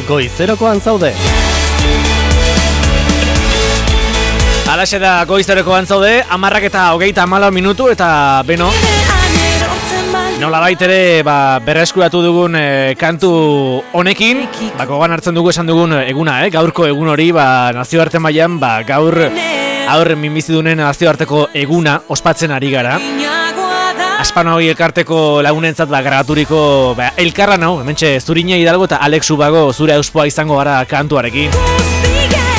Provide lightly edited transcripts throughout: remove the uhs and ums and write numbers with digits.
Goizerokoan zaude. Alaxe da goizerokoan zaude, 10:24 minutu eta beno. Nolabait ere berreskuratu dugun kantu honekin, gogoan hartzen dugu esan dugun eguna, gaurko egun hori nazioarte mailan gaur minbizidunen nazioarteko eguna ospatzen ari gara. Aspanoi elkarteko lagunentzat grabaturiko elkarlan hau, hementxe Zurina Hidalgo eta Alex Ubago zure auspoa izango gara kantuarekin.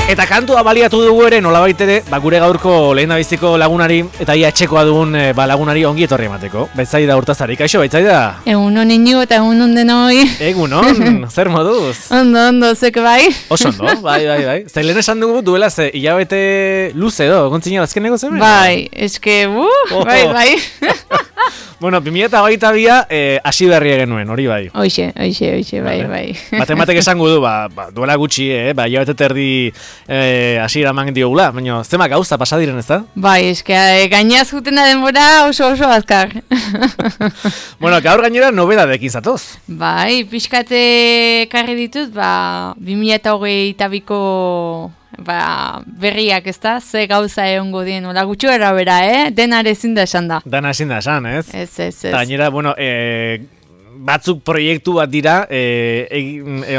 Eta kantua baliatu dugu ere nolabait ere gure gaurko lehendabiziko lagunari eta ia etxekoa dugun lagunari ongi etorri emateko. Baitzaida Urtazari, kaixo baitzaida? Egunon Inigo eta egunon denoi. Egunon, zer moduz? Ondo, zek bai? Oso ondo, bai. Zer lehen esan dugu duela hilabete luze edo, gontzina azkeneko zen? Bai, eske, bai. Bueno, 2022 hasi berria genuen, hori bai. Hoxe, bai. Matematek esango du, duela gutxi, hilabete terdi hasiera eman diogula, baina zema gauza pasa diren, ez da? Bai, eske, gainaz jutena denbora oso azkar. Bueno, gaur gainera nobedadekin zatoz. Bai, pixkate karri ditut, 2022ko berriak, ez da? Ze gauza egongo dien, hola gutxu erabera, denare ezin da esan da. Dana ezin da esan, ez? Ez. Gainera, bueno, batzuk proiektu bat dira,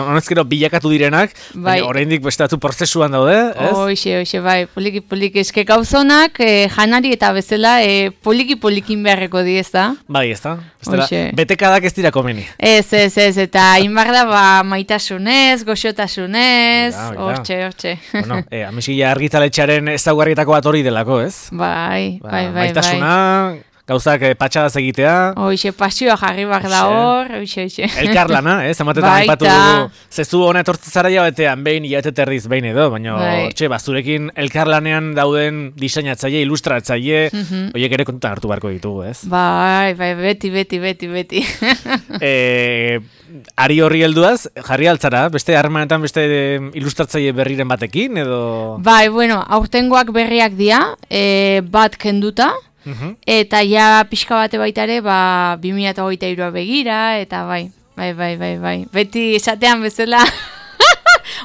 honezkero bilakatu direnak, oraindik beste batzu prozesuan daude, ez? Hoxe, bai, poliki, eske gauzonak, janari eta bezala, polikin beharreko di, ez da? Bai, ez da? Betekadak ez dira komeni. Ez, eta inbar da, maitasunez, goxotasunez, hortxe. Bueno, amizia argitaletxearen ezaugarrietako bat hori delako, ez? Bai. Maitasuna, gauzak patxadaz egitea. Hoxe, pasioa jarri behar da hor, hoxe. Elkarlana, zematetan aipatu dugu. Zezu hona etortzen zara jabetean, behin hilabete terdiz behin edo, baina hortxe, zurekin elkarlanean dauden diseinatzaile, ilustratzaile, horiek ere kontutan hartu beharko ditugu, ez? Bai, beti. Ari horri helduaz, jarri altzara, beste harremanetan beste ilustratzaile berriren batekin, edo? Bai, bueno, aurtengoak berriak dira, bat kenduta, eta ja pixka bate baita ere 2023 begira, eta bai. Beti esatean bezala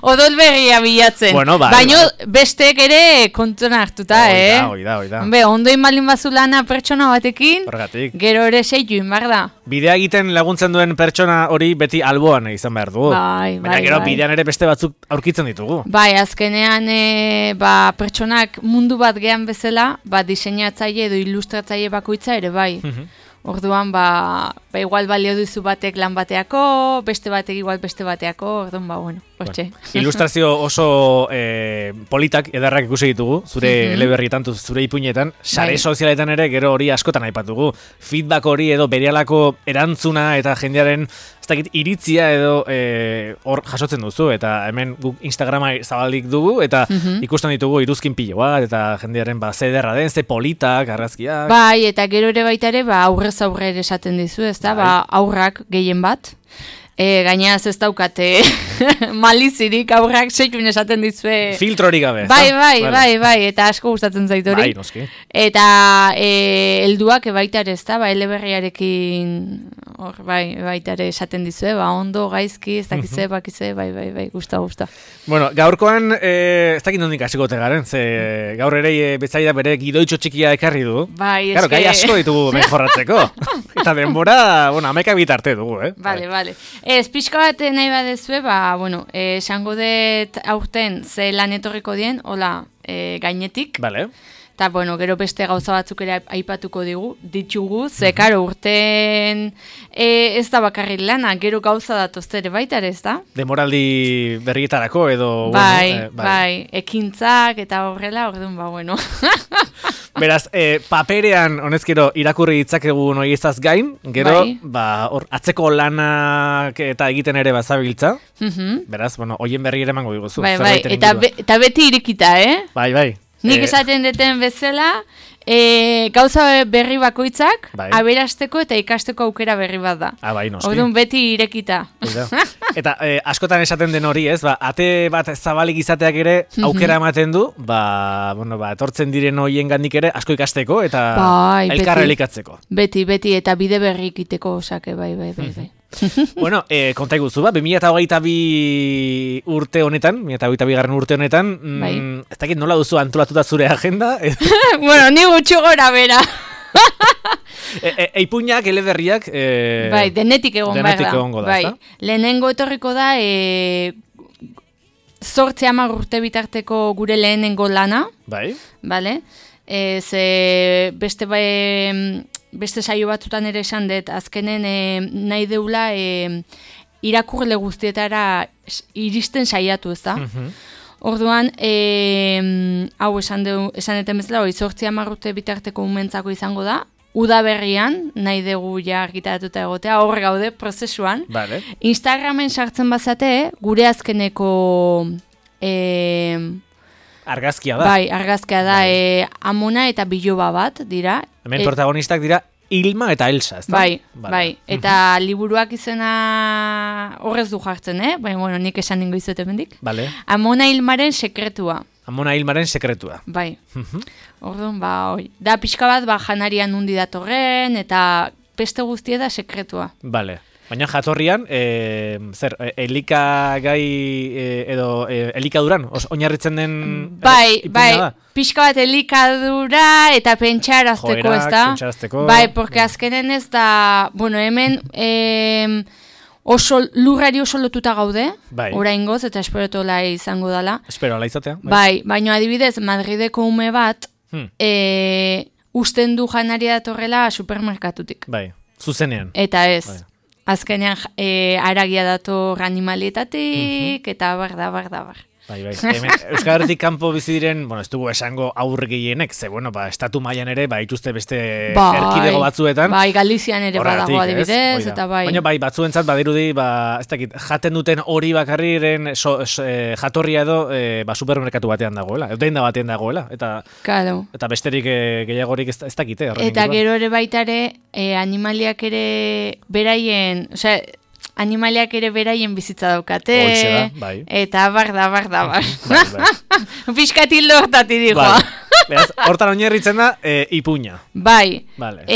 odol berria bilatzen. Bueno, baina bestek ere kontuan hartuta, Oida. Ondoin malin bazulana pertsona batekin, horregatik. Gero ere seitu inbar da. Bidea egiten laguntzen duen pertsona hori beti alboan izan behar dugu. Bai. Baina gero bidean ere beste batzuk aurkitzen ditugu. Bai, azkenean pertsonak mundu bat gehan bezala, diseinatzaile edo ilustratzaile bakoitza ere bai. Orduan, igual balio duzu batek lan bateako, beste batek igual beste bateako, orduan, bueno, hortxe. Ilustrazio oso politak edarrak ikusi ditugu, zure eleberrietan, zure ipuinetan, sare sozialetan ere gero hori askotan aipatugu. Feedback hori edo berehalako erantzuna eta jendearen iritzia edo hor jasotzen duzu, eta hemen guk Instagrama zabalik dugu, eta ikusten ditugu iruzkin pilo bat, eta jendearen ze ederra den, ze politak, argazkiak. Bai, eta gero ere baita ere, aurrez aurre esaten dizu, ez da, aurrak gehien bat. Gainaz ez daukate malizirik aurrak seitun esaten dizue. Filtrorik gabe. Bai, eta asko gustatzen zait hori. Bai, noski. Eta helduak baita ere, ez da, eleberriarekin hor, baita ere esaten dizue, ondo, gaizki, ez dakize, bai, gusta. Bueno, gaurkoan, ez dakit nondik hasiko tegaren, ze gaur ere betzaida bere gidoitxo txikia ekarri du. Bai, eske. Claro, gai asko ditugu mejorratzeko. Eta denbora, 11 bitarte dugu, Vale. Ez, pixka bat nahi badezue, esango dut aurten ze lan etorriko dien, hola, gainetik. Vale. Eta, gero beste gauza batzuk ere aipatuko ditugu, ze, karo, urten ez da bakarrik lana, gero gauza datozte ere baita ere, ez da? Demoraldi berrietarako edo... Bai, ekintzak eta horrela, orduan, Beraz, paperean, honezkero, irakurri ditzakegu noiezaz gain, gero, atzeko lanak eta egiten ere bazabiltza. Beraz, hoien berri ere emango diguzu. Bai, eta beti irekita, Bai. Nik esaten deten bezala, gauza berri bakoitzak, aberasteko eta ikasteko aukera berri bat da. Bai, noski. Orduan beti irekita. Eta askotan esaten den hori, ez? Ate bat zabalik izateak ere aukera ematen du, etortzen diren hoien gandik ere asko ikasteko eta elkarra elikatzeko. Beti, eta bide berri ikiteko osake, bai. Bueno, konta iguzu, 2022 urte honetan, 2022 urte honetan, ez dakit nola duzu antolatuta zure agenda? Bueno, ni gutxu gora bera. Eipuñak, eleberriak... Bai, denetik egon da. Bai. Lehenengo etorriko da, 8-10 urte bitarteko gure lehenengo lana. Bai. Vale? Ze beste saio batzutan ere esan dut, azkenen nahi deula irakurle guztietara iristen saiatu, ez da? Orduan, hau esan eten bezala, 8-10 urte bitarteko umentzako izango da, udaberrian, nahi dugu ja argitaratuta egotea, hor gaude prozesuan. Vale. Instagramen sartzen bazate, gure azkeneko... Argazkia da. Bai, argazkia da, Amona eta Biloba bat, dira. Hemen protagonistak dira Ilma eta Elsa, ez da? Bai. Eta liburuak izena horrez du jartzen, Baina, bueno, nik esan ningo izute mendik. Vale. Amona Ilmaren sekretua. Amona Ilmaren sekretua. Bai. Orduan, da pixka bat, janarian nundi datorren, eta beste guztia da sekretua. Vale. Baina jatorrian, elikagai edo elikaduran, oinarritzen den... Bai, pixka bat elikadura eta pentsarazteko, ez da? Pentsarazteko... Bai, porque azkenen ez da, bueno, hemen lurrari oso lotuta gaude, oraingoz, eta esperotola izango dela. Esperola izatea. Bai, baina adibidez, Madrideko ume bat, usten du janaria datorrela supermerkatutik. Bai, zuzenean. Eta ez. Azkenean aragia dator animalietatik, eta bar. Bai. Euskal Herritik kanpo bizi diren, bueno, ez dugu esango aurre gehienek, ze, bueno, estatu mailan ere, ituzte beste erkidego batzuetan. Bai, Galizian ere badago adibidez, eta bai. Baina batzuentzat badirudi, ez dakit, jaten duten hori bakarriren jatorria edo supermerkatu batean dagoela, denda batean dagoela, eta besterik gehiagorik ez dakite. Eta gero ere baitare, animaliak ere beraien, osea, animaliak ere beraien bizitza daukate. Hoxe da, bai. Eta bar. Piskatildo hortati digoa. Beraz, hortan oinarritzen da, ipuña. Bai. Vale.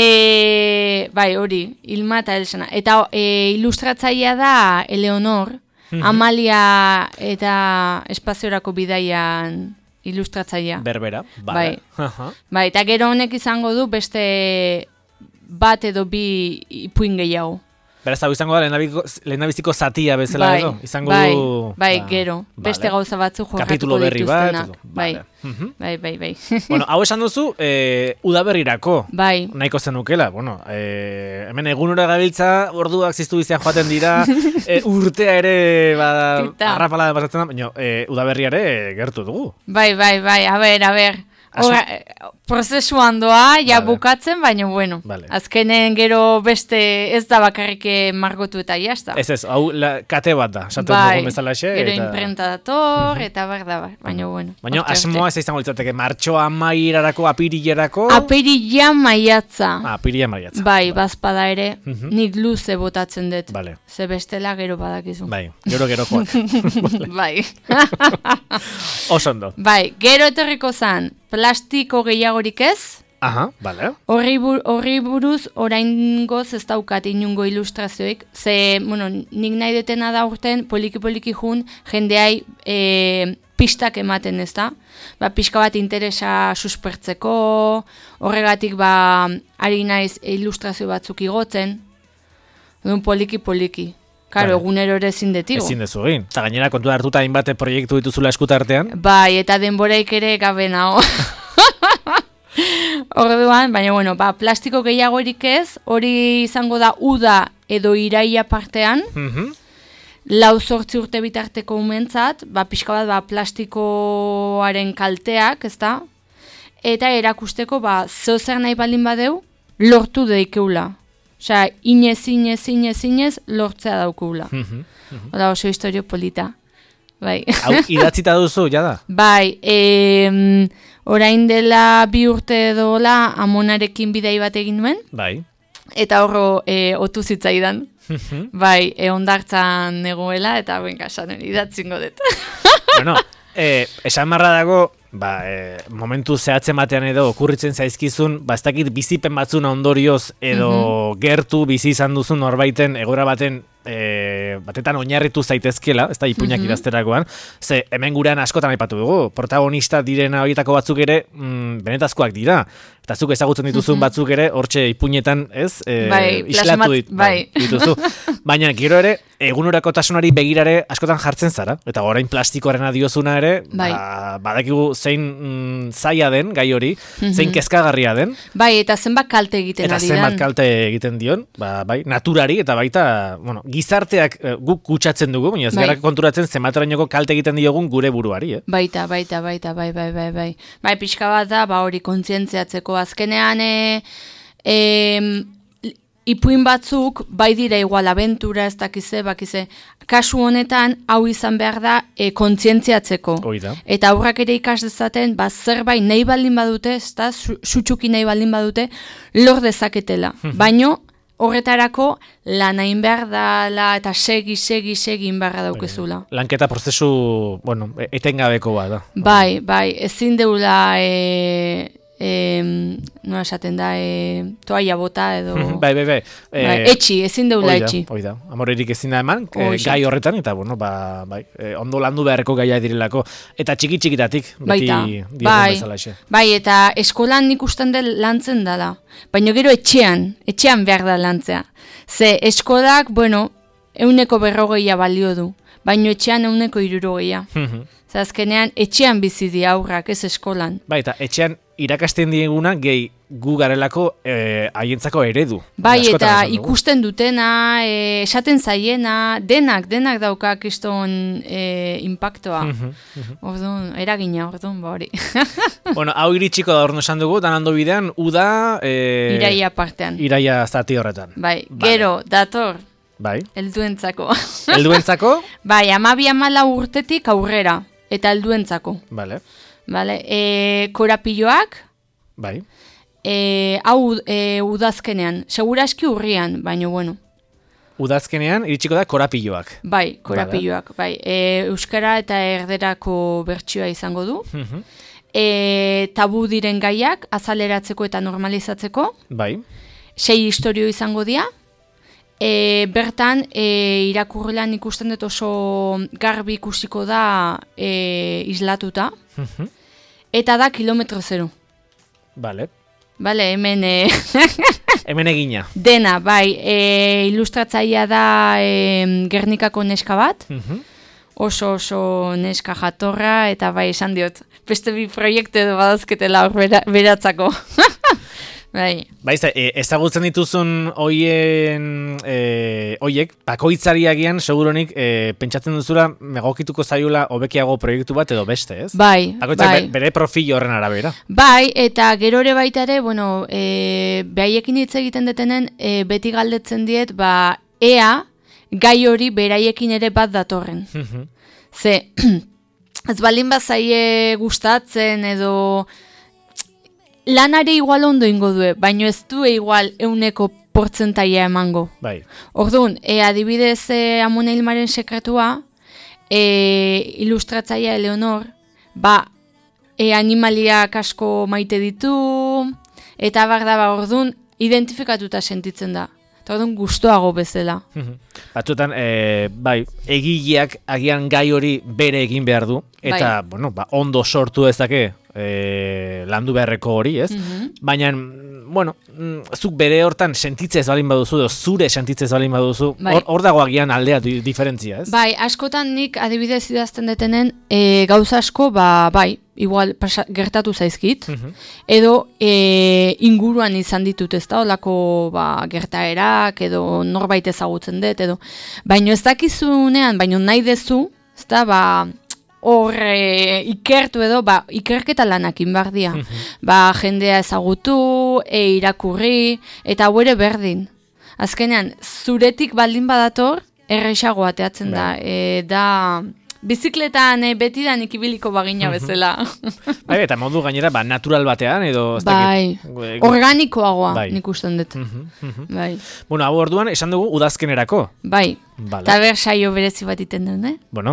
Bai, hori, Ilma eta Elsana. Eta ilustratzailea da Eleonor, Amalia eta espaziorako bidaian ilustratzailea. Berbera, bai. Bai, eta gero honek izango du beste bat edo bi ipuin gehiago. Beraz, hau izango da, lehendabiziko zatia bezala edo? Izango du... Bai, gero. Beste gauza batzu jorratuko dituztena. Bai. Bueno, hau esan duzu, udaberrirako. Bai. Nahiko zenukela. Bueno, hemen egunora gabiltza, orduak ziztu bizian joaten dira, urtea ere, arrapala pasatzen da, baina udaberriare gertu dugu. Bai, a ber. Prozesuan doa, bukatzen, baina bueno, azkenen gero beste ez da bakarrik margotu eta jazta. Ez, hau kate bat da, esaten dugu bezalaxe. Gero imprenta dator, eta bar, baina bueno. Baina asmoa ez izango litzateke, martxoa amairarako, apirilerako? Apirila maiatza. Apirila maiatza. Bai, bazpada ere, nik luze botatzen dut. Ze bestela gero badakizu. Bai, gerokoak. Bai. Osondo. Bai, gero etorriko zan, plastiko gehiagorik ez. Aha, bale. Horri buruz oraingoz ez daukat inungo ilustrazioik. Ze, bueno, nik nahi detena da urten poliki jun jendeai pistak ematen, ez da? Pixka bat interesa suspertzeko, horregatik ari naiz ilustrazio batzuk igotzen. Dun poliki. Karo, egunero ere ezin detigo. Ezin dezu egin. Eta gainera kontu hartuta hainbat proiektu dituzula eskutartean. Bai, eta denboraik ere gabe nago. Orduan, baina bueno, plastiko gehiagorik ez, hori izango da uda edo iraia partean, 4 urte bitarteko umentzat, pixka bat plastikoaren kalteak, ezta? Eta erakusteko, zeozer nahi baldin badeu, lortu deikeula. Osea, inez lortzea daukula. Oda oso historio polita. Bai. Hau, idatzita duzu, jada? Bai, orain dela 2 urte edola Amonarekin bidai bat egin nuen. Bai. Eta horro otu zitzaidan. Bai, ondartzan negoela, eta benka, esan idatzingo dut. Bueno, esan marra dago, momentu zehatzen batean edo okurritzen zaizkizun, ez dakit bizipen batzuna ondorioz edo gertu bizi izan duzun norbaiten egoera batetan oinarritu zaitezkela, ez da ipuinak idazterakoan, ze hemen gurean askotan aipatu dugu, protagonista direna horietako batzuk ere benetazkoak dira, eta zuk ezagutzen dituzun batzuk ere, hortxe ipuinetan, ez, islatu dituzu. Baina gero ere, egunerakotasunari begirare askotan jartzen zara, eta orain plastikoarena diozuna ere, badakigu zein zaila den, gai hori, zein kezkagarria den. Bai, eta zenbat kalte egiten ari den. Eta zenbat kalte egiten dion, naturari, eta baita, gizarteak guk kutsatzen dugu, baina ez gara konturatzen zenbaterainoko kalte egiten diogun gure buruari, Baita, bai. Bai, pixka bat da, hori kontzientziatzeko azkenean, ipuin batzuk, bai dira igual abentura, ez dakize, kasu honetan, hau izan behar da, kontzientziatzeko. Eta aurrak ere ikas dezaten, zerbait nahi baldin badute, ez da, sutsuki nahi baldin badute, lor dezaketela. Baino, horretarako lan hain behar dala eta segi inbarra daukezula. Lanketa prozesu, etengabeko bat da. Bai, ezin deula, nola esaten da, toaia bota edo... Bai. Etxi, ezin deula etxi. Oida, amorerik ezin da eman, gai horretan, eta ondo landu beharreko gaia direlako. Eta txiki-txikitatik, beti diogun bezala exe. Bai, eta eskolan nik usten dut lantzen dela. Baina gero etxean behar da lantzea. Ze eskolak, 140 balio du. Baina etxean 160. Ze azkenean etxean bizi di aurrak, ez eskolan. Bai, eta etxean irakasten dieguna gehi gu garelako haientzako eredu. Bai, eta ikusten dutena, esaten zaiena, denak dauka kiston impactoa. Orduan, eragina, hori. Hau iritsiko da orduan esan dugu, danando bidean, uda... Iraia partean. Iraia zati horretan. Bai, gero, dator. Bai. Helduentzako. Helduentzako? Bai, 12-14 urtetik aurrera, eta helduentzako. Vale. Korapilloak. Bai. Hau udazkenean, seguraski urrian, baina Udazkenean iritsiko da korapilloak. Bai, korapilloak, bai. Euskara eta erderako bertsioa izango du. Tabu diren gaiak, azaleratzeko eta normalizatzeko. Bai. 6 istorio izango dira. Bertan, irakurrelan ikusten dut oso garbi ikusiko da islatuta. Eta da kilometro 0. Vale, hemen... hemen egina. Dena, bai, ilustratzaia da Gernikako neska bat. Oso neska jatorra, eta bai, esan diot, beste bi proiektu edo badazketela hor beratzako. Bai, ezagutzen dituzun oiek, bakoitzari agian, seguronik, pentsatzen duzula, megokituko zaiola hobekiago proiektu bat edo beste, ez? Bai. Bere profil horren arabera. Bai, eta gero ere baita ere, behaiekin hitz egiten detenen, beti galdetzen diet, ea, gai hori beraiekin ere bat datorren. Ze, ez baldin bazaie gustatzen edo... Lanare igual ondo ingo due, baino ez du igual 100% emango. Bai. Orduan, adibidez Amona Hilmaren sekretua, ilustratzaia Eleonor, animaliak asko maite ditu, eta orduan, identifikatuta sentitzen da. Eta orduan, gustoago bezala. Batzutan, egileak agian gai hori bere egin behar du, eta, ondo sortu ezake, landu beharreko hori, ez? Baina, zuk bere hortan sentitzez balin baduzu, zure sentitzez balin baduzu, hor dago agian aldea diferentzia, ez? Bai, askotan nik adibidez idazten detenen, gauza asko, igual gertatu zaizkit, edo inguruan izan ditut, ez da, olako gertaerak, edo norbait ezagutzen dut, edo, baino ez dakizunean, baino nahi dezu, ez da, hor ikertu edo, ikerketa lanak inbardia. Jendea ezagutu, irakurri, eta hau ere berdin. Azkenean, zuretik baldin badator, errexago ateatzen da. Da, bizikletan betidan ikibiliko bagina bezala. Eta modu gainera, natural batean, edo... Organikoagoa, nik usten dut. Hau orduan, esan dugu udazkenerako. Bai. Eta saio berezi bat iten duen, Bai.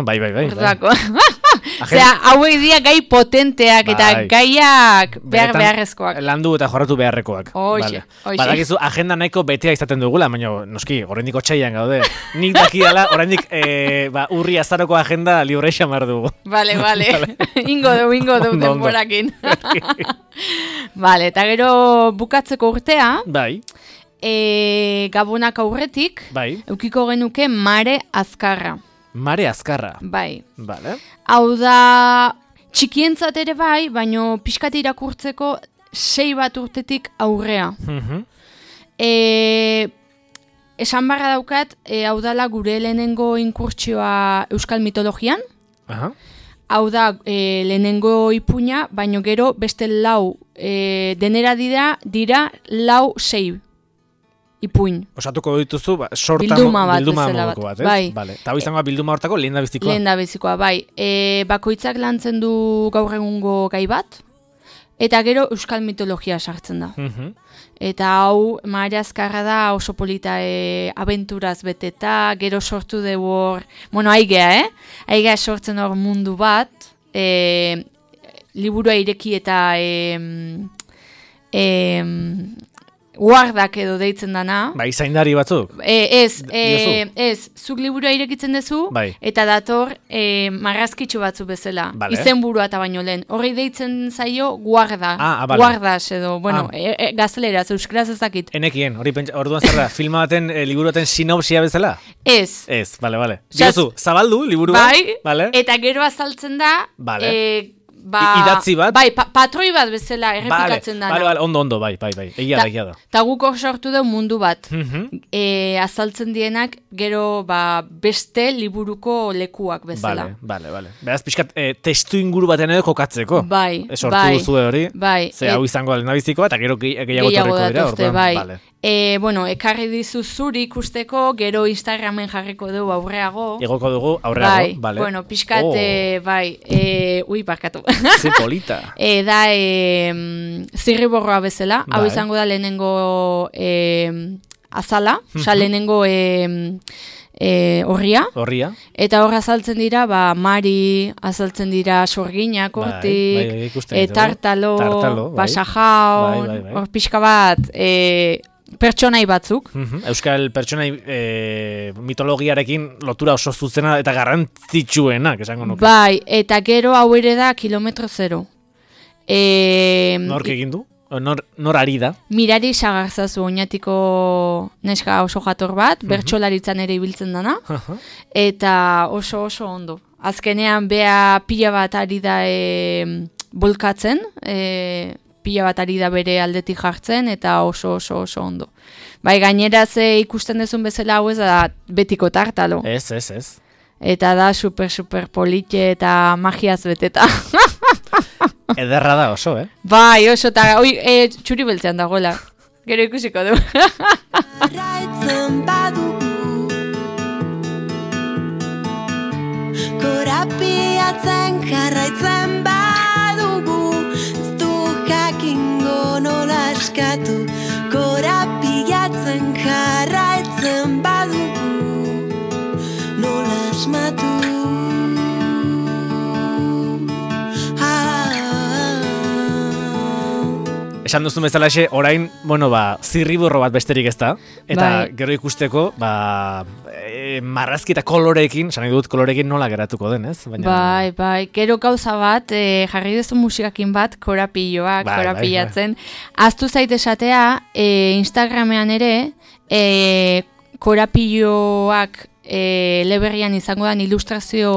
Osea, hauek dira gai potenteak eta gaiak beharrezkoak. Landu eta jorratu beharrekoak. Hoxe. Badakizu agenda nahiko betea izaten dugula, baina noski, oraindik otsailean gaude. Nik dakidala, oraindik urri azaroko agenda libre xamar dugu. Vale. Ingo du denborakin. Vale, eta gero bukatzeko urtea. Bai. Gabonak aurretik, eukiko genuke Mare Azkarra. Mare Azkarra? Bai. Vale. Hau da, txikientzat ere bai, baino pixkat irakurtzeko 6 bat urtetik aurrea. Esan barra daukat, hau dala gure lehenengo inkurtsioa euskal mitologian. Hau da, lehenengo ipuina, baino gero beste 4, denera dira 4-6 ipuin. Osatuko dituzu, bilduma moduko bat, ez? Bai. Eta hau izango bilduma hortako lehen da bizikoa? Lehen da bizikoa, bai. Bakoitzak lantzen du gaur egungo gai bat, eta gero euskal mitologia sartzen da. Eta hau, Mare Azkarra da oso polita abenturaz beteta, gero sortu dugu hor, aigea, aigea sortzen hor mundu bat, liburua ireki eta guardak edo deitzen dana. Bai, zaindari batzuk? Ez, zuk liburua irekitzen duzu, eta dator marrazkitxo batzu bezala. Izen burua eta baino lehen. Horri deitzen zaio guarda. Guardas edo, gazteleraz, euskaraz ezakit. Enekien, orduan zer da, filma baten, liburu baten sinopsia bezala? Ez. Ez, bale. Diozu, zabaldu, liburua? Bai, eta gero azaltzen da, idatzi bat? Bai, patroi bat bezala errepikatzen dana. Bale, ondo, bai. Egia da. Ta guk hor sortu da mundu bat. Azaltzen dienak, gero beste liburuko lekuak bezala. Bale. Beraz, pixkat, testu inguru batean edo kokatzeko. Bai. Sortu duzue hori. Bai. Ze hau izango alena bizikoa, eta gero gehiago torreko dira. Bai. Ekarri dizu zuri ikusteko, gero Instagramen jarriko dugu aurreago. Egoko dugu aurreago, bale. Bueno, pixkat, ui, barkatu. Ze polita. Da, zirriborroa bezala, hau izango da lehenengo azala, lehenengo horria. Eta hor azaltzen dira, Mari, azaltzen dira sorginak, hortik, tartalo, basajao, hor pixka bat, pertsonai batzuk. Euskal pertsonai mitologiarekin lotura oso zuzena eta garrantzitsuenak, esango nuke. Bai, eta gero hau ere da kilometro zero. Nork egin du? Nor ari da? Mirari Sagarzazu oinatiko neska oso jator bat, bertsolaritzan ere ibiltzen dana, eta oso ondo. Azkenean bea pila bat ari da bolkatzen, pila bat ari da bere aldetik jartzen, eta oso ondo. Bai, gainera ze ikusten dezun bezala hau ez da betiko tartalo. Ez. Eta da super politxe eta magiaz beteta. Ederra da oso, Bai, oso, eta txuri beltzean dagoela. Gero ikusiko du. Korapiatzen jarraitzen badugu, ez du jakingo nola eskatu. Korapiatzen jarraitzen badugu, nola asmatu. Esan duzun bezalaxe, orain, zirriborro bat besterik ez da, eta gero ikusteko, marrazki eta koloreekin, esan dut koloreekin nola geratuko den, ez? Bai, gero gauza bat, jarri duzu musikakin bat, korapilloak, korapillatzen. Aztu zait esatea, Instagramean ere, korapilloak leberrian izango den ilustrazio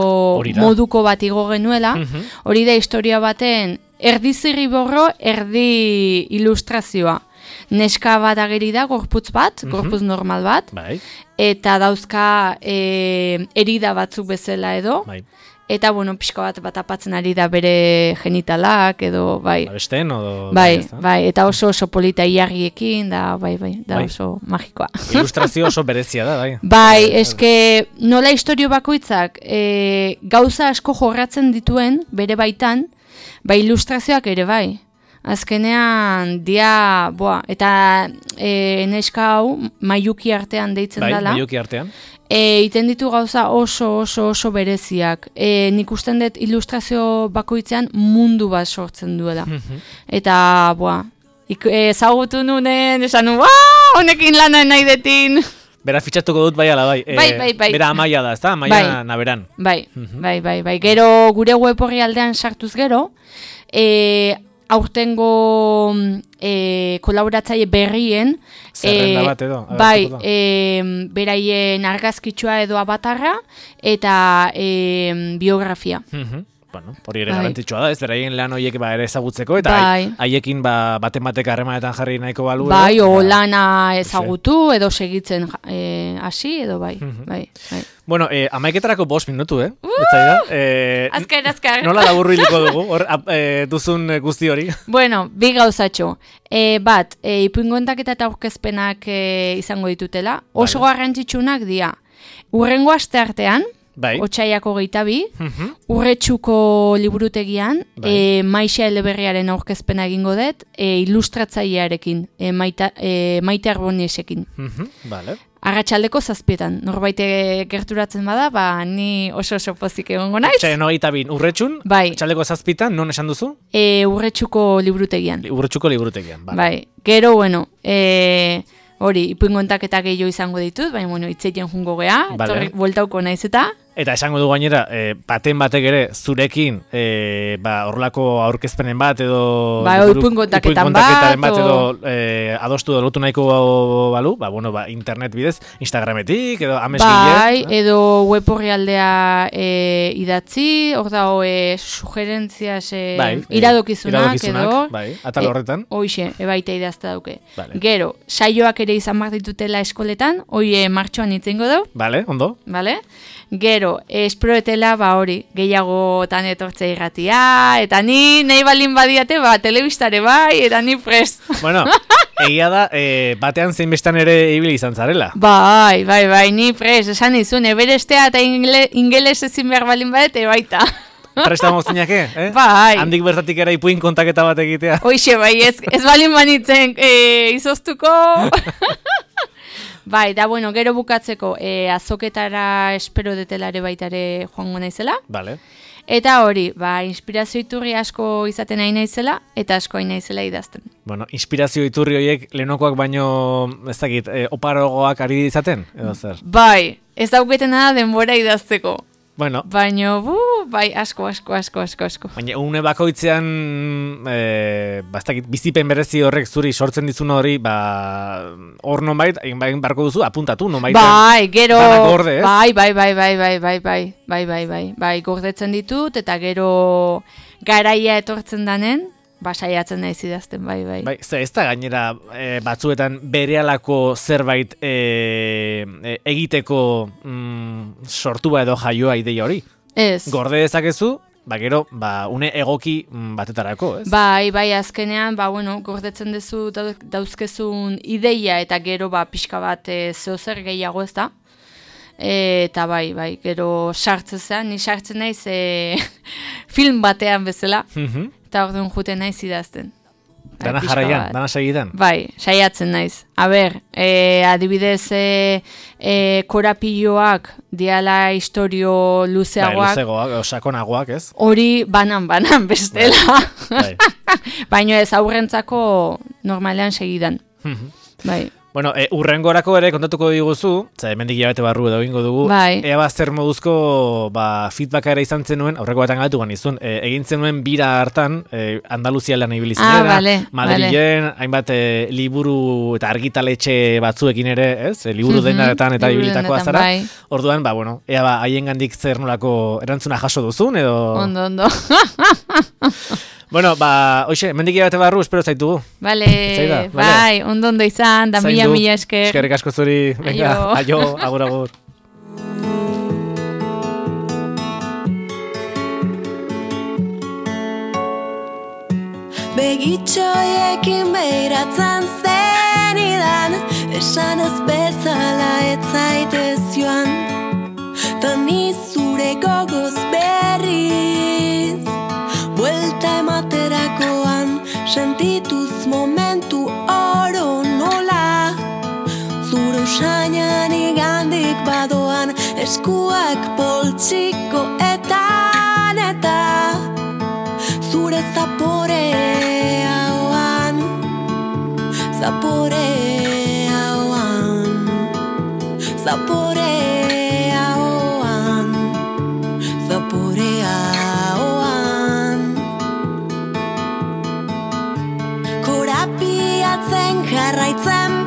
moduko bat igo genuela, hori da historia baten, erdi zirriborro, erdi ilustrazioa. Neska bat ageri da, gorputz bat, gorputz normal bat, eta dauzka erida batzuk bezala edo, eta, pixka bat apatzen ari da bere genitalak, edo, Abesten, eta oso polita iarriekin, da oso magikoa. Ilustrazio oso berezia da, eske nola historio bakoitzak gauza asko jorratzen dituen, bere baitan, ilustrazioak ere Azkenean, eta neska hau Maiuki artean deitzen dela. Maiuki artean. iten ditu gauza oso bereziak. Nik usten dut ilustrazio bakoitzean mundu bat sortzen duela. Eta, ezagutu nunen, esan nu, honekin lana nahi detin. Bera fitxatuko dut bai ala bai. Bai. Bera Amaia da, ezta? Amaia Naberan. Bai. Gero gure web orri aldean sartuz gero, aurtengo kolaboratzaile berrien zerrenda bat edo. Beraien argazkitsua edo abatarra eta biografia. Bueno, hori ere garrantzitsua da, ez beraien lan horiek ere ezagutzeko eta haiekin baten batek harremanetan jarri nahiko balu. Lana ezagutu edo segitzen hasi edo bai. Bueno, 11:00 5 minutu, Azkar. Nola laburru hiliko dugu, hor duzun guzti hori? Bueno, bi gauzatxo. Bat, ipuingontaketa eta aurkezpenak izango ditutela. Oso garrantzitsunak dira. Urrengo asteartean, Otsaiako 22, Urretxuko liburutegian, Maixa Eleberriaren aurkezpena egingo dut, ilustratzailearekin, Maite Arboniesekin. Arratsaldeko 7:00, norbaite gerturatzen bada, ni oso pozik egongo naiz. Otsaiaren 22, Urretxun, arratsaldeko 7:00, non esan duzu? Urretxuko liburutegian. Bai. Gero, hori, ipuingontaketa gehiago izango ditut, baina, itzeiten jungo gea, bueltauko naiz eta. Eta esango du gainera, baten batek ere zurekin horrelako aurkezpenen bat edo ipuingontaketan bat edo adostu lotu nahiko balu, internet bidez, Instagrametik edo amesgile. Edo web orrialdea idatzi, hor da sugerentziaz iradokizunak edo. Atal horretan. Hoixe, ebaita idazta dauke. Gero, saioak ere izan behar ditutela eskoletan, hoi martxoan itzengo dau. Ondo. Gero, esproetela, hori, gehiagotan etortzea irratia, eta nahi balin badiate, telebistare eta ni prest. Bueno, egia da, batean zein ere ibili izan zarela. Bai, ni prest, esan izun, eberestea eta ingeles ezin behar balin badete, baita. Presta moztinake, Bai. Handik bertatik era ipuin kontaketa bat egitea. Hoixe, ez balin banitzen, izoztuko... Da gero bukatzeko azoketara espero detelare baitare joango naizela. Eta hori, inspirazio iturri asko izaten nahi naizela, eta asko hain naizela idazten. Bueno, inspirazio iturri horiek lehenokoak baino, ez dakit, oparogoak ari izaten, edo zer? Bai, ez dauketena da denbora idazteko. Bueno. Baina, asko. Baina, une bakoitzean, bizipen berezi horrek zuri sortzen dizun hori, hor nonbait, barko duzu, apuntatu, nonbait. Gero, gorde, ez? Bai, gordetzen ditut, eta gero garaia etortzen danen, saiatzen naiz idazten, bai. Ez da gainera batzuetan berehalako zerbait egiteko sortua edo jaioa ideia hori? Ez. Gorde dezakezu, gero, une egoki batetarako, ez? Bai, azkenean, gordetzen duzu dauzkezun ideia eta gero pixka bat zehozer gehiago ez da. Eta bai, gero sartzen ni sartzen naiz film batean bezala. Eta orduan juten naiz idazten. Dana jarraian, dana segidan. Bai, saiatzen naiz. Adibidez, korapilloak diala historio luzeagoak. Luzeagoak, sakonagoak, ez? Hori banan bestela. Baina ez aurrentzako normalean segidan. Bai. Bueno, urrengorako ere kontatuko diguzu, hemendik hilabete barru edo egingo dugu, ea zer moduzko feedbacka ere izan zenuen, aurreko batean galetu ganizun, egin zenuen bira hartan, Andaluzia lan ibili zinera, Madrilen, hainbat liburu eta argitaletxe batzuekin ere, ez? Liburu denaretan eta ibilitako azara. Orduan, ea haiengandik zer nolako erantzuna jaso duzun, edo... Ondo. Bueno, hoxe, mendik bate barru, espero zaitugu. Bai, ondo izan, da mila esker. Eskerrik asko zuri, venga, aio, agur. Begitxoiekin behiratzen zenidan, esan ez bezala ez zaitez joan, ta ni zure gogoz berriz. Buelta ematerakoan, sentituz momentu oro nola, zure usainan igandik badoan eskuak poltsiko eta zure zaporean korapiatzen jarraitzen